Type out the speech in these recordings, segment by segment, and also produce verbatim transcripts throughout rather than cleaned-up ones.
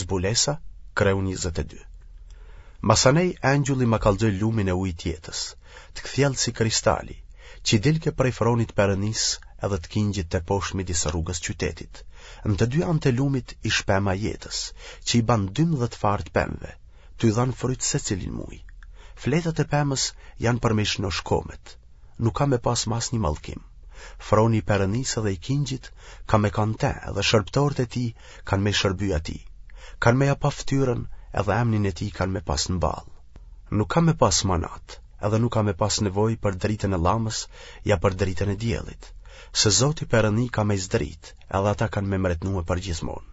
Zbulesa, kreu njëzet e dy. Masanej engjulli ma kallxoi lumin e ujit t'jetës, të kthjellët si kristali, qi dilke prej fronit Perënisë edhe të Kingjit teposhtë midis rrugës qytetit. Në të dy anët e lumit ish pema e jetës, që i ban dymbëdhjetë farë të pemëve, tuj dhanë fryt secilin muj. Fletët e pemës janë për me i shnoshë komet. Nuk ka me pasë ma asnjë mallkim. Froni i Perënisë edhe i Kingjit ka me kanë n'te edhe shërbëtorët e tij kanë me i shërby atij. Kanë me ja pa fytyrën edhe emnin e tij kanë me pasë në ballë. Nuk ka me pasë ma natë, edhe nuk ka me pasë nevojë për dritën e llamës ja për dritën e diellit, se Zoti Perëni ka me i zdritë edhe ata kanë me mretnue përgjithmonë.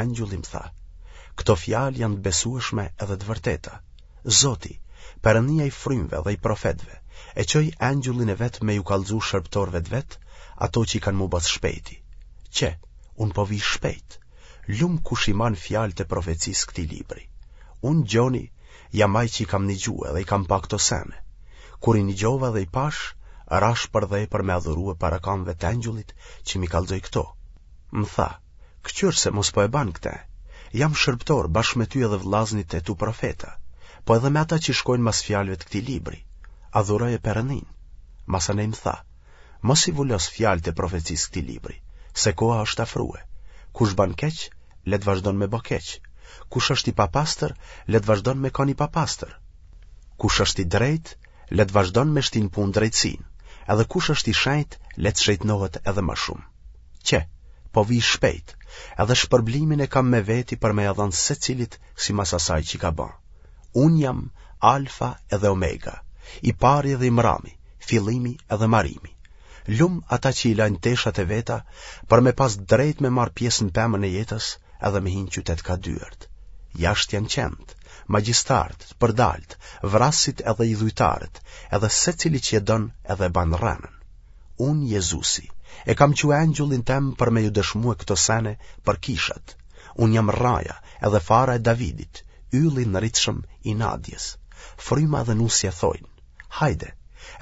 Engjulli më tha, Këto fjalë janë të besueshme edhe të vërteta. Zoti, Perënia i frymëve dhe i profetëve, e çoi engjëllin e vet me ju kallxu shërbëtorëve të vet ato që kanë m'u ba së shpejti. Qe, unë po vij shpejt. Lum kush i man fjalët e profecisë këtij libri. Unë, Gjoni, jam ai që i kam nigjue dhe i kam pa këto sene. Kur i nigjova dhe i pashë, rashë përdhe për me adhurue para kamëve të engjëllit që m'i kallxoi këto. Më tha, Këqyr se mos po e ban këtë. Jam shërbëtor bashkë me ty edhe vëllaznit e tu profeta, po edhe me ata që shkojnë mas fjalëve të këtij libri. Adhuroje Perëndinë. Masanej më tha, Mos i vulos fjalët e profecisë këtij libri, se koha është afrue. Kush ban keq, le të vazhdon me ba keq. Kush është i papastër, le të vazhdon me kanë i papastër. Kush është i drejtë, le të vazhdon me shti në punë drejtësinë, edhe kush është i shenjtë, le të shejtnohet edhe ma shumë. Qe, po vij shpejt, edhe shpërblimin e kam me veti për me ia dhanë secilit simas asaj që ka ba. Unë jam Alfa edhe Omega, i pari edhe i mrami, fillimi edhe marimi. Lum ata që i lajnë teshat e veta për me pas drejt me marrë pjesë në pemën e jetës edhe me hi në qytet ka dyert. Jashtë janë qentë, magjistarët, të përdaltë, vrasësit edhe idhujtarët, edhe secili që e don edhe e ban rrenën. Unë, Jezusi, e kam çu engjëllin tem për me ju dëshmue këto sene për kishat. Unë jam rraja edhe fara e Davidit, ylli i ndritshëm i nadjes. Fryma dhe nusja thojnë, Hajde!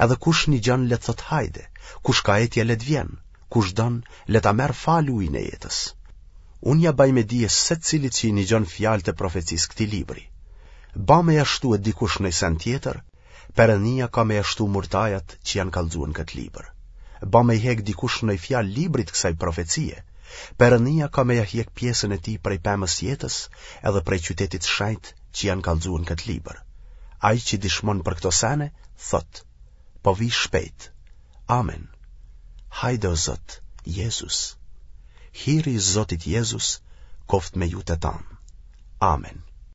Edhe kush nigjon le të thotë hajde, kush ka etje le të vjen, kush don le ta merr falë ujin e jetës. Unë ja baj me dije secilit që i nigjon fjalët e profecisë këtij libri. Ba me ja shtue dikush noj sen tjetër, Perënia ka me ja shtu murtajat që janë kallxue në këtë libër. Ba me i hek dikush noj fjalë librit kësaj profecie, Perënia ka me ja hjek pjesën e tij prej pemës jetës edhe prej qytetit shenjt që janë kallxue në këtë libër. Ai që dishmon për këto sene, thotë, po vij shpejt. Amen. Hajde o Zot, Jezus. Hiri i Zotit Jezus, koftë me ju të tanë. Amen.